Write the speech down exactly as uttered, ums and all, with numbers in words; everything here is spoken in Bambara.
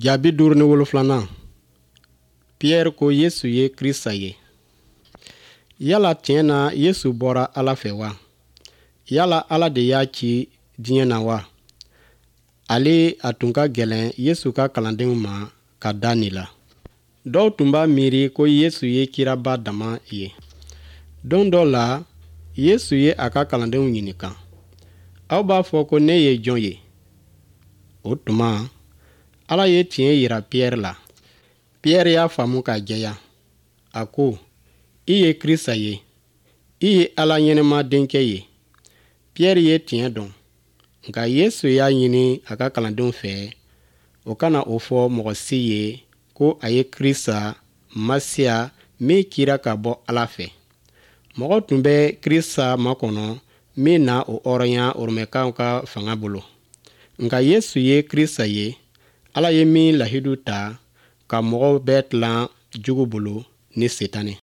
Jaabi duuru ni wolofilanan. Pierre ko Yesu ye Krista ye. Yala tiɲɛ na Yesu bɔra Ala fɛ wa? Yala Ala de y'a ci diɲɛ na wa? Ale a tun ka gɛlɛn Yesu ka kalandenw ma ka da nin la. Dɔw tun b'a miiri ko Yesu ye kiraba dama ye. Don dɔ la, Yesu ye a ka kalandenw ɲininka. Aw b'a fɔ ko ne ye jɔn ye? O tuma, Ala ye tiɲɛ yira Pierre la. Pierre y'a faamu k'a jɛya. A ko, i ye Krista ye. I ye Ala ɲɛnɛma denkɛ ye. Pierre ye tiɲɛ dɔn. Nka Yesu y'a ɲini a ka kalandenw fɛ, o kana o fɔ mɔgɔ si ye ko a ye Krista Masiya min cira ka bɔ Ala fɛ. Mɔgɔ tun bɛ Krista makɔnɔ min na o hɔrɔnya Romɛkaw ka fanga bolo. Nka Yesu ye Krista ye, Ala ye min lahidu ta ka mɔgɔw bɛɛ tilan jugu bolo ni Sitanɛ.